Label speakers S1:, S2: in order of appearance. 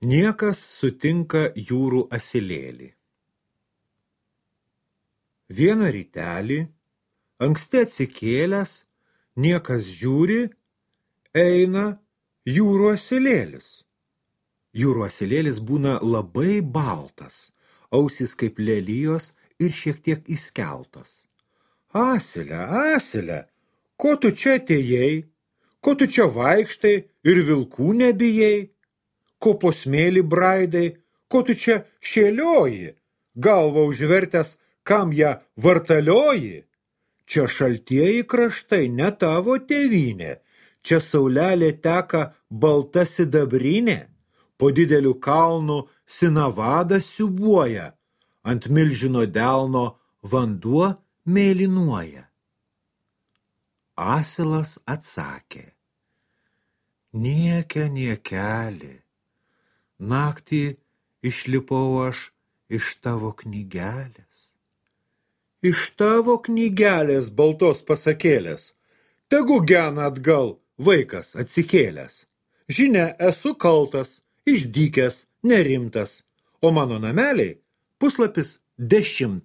S1: Niekas sutinka jūrų asilėlį. Vieną rytelį, anksti atsikėlęs, niekas žiūri, eina jūrų asilėlis. Jūrų asilėlis būna labai baltas, ausys kaip lelijos ir šiek tiek įskeltos. Asile, asile, ko tu čia atėjai, ko tu čia vaikštai ir vilkų nebijai, ko po smėlį braidai, ko tu čia šėlioji, galvą užvertęs, kam ją vartalioji. Čia šaltieji kraštai, ne tavo tėvynė, čia saulelė teka balta sidabrinė, po dideliu kalnu sinavadas siūbuoja, ant milžino delno vanduo mėlynuoja. Asilas atsakė, niekia niekeli, naktį išlipau aš iš tavo knygelės. Iš tavo knygelės baltos pasakėlės, tegu gena atgal vaikas atsikėlęs. Žinia, esu kaltas, išdykęs, nerimtas, o mano nameliai puslapis 10.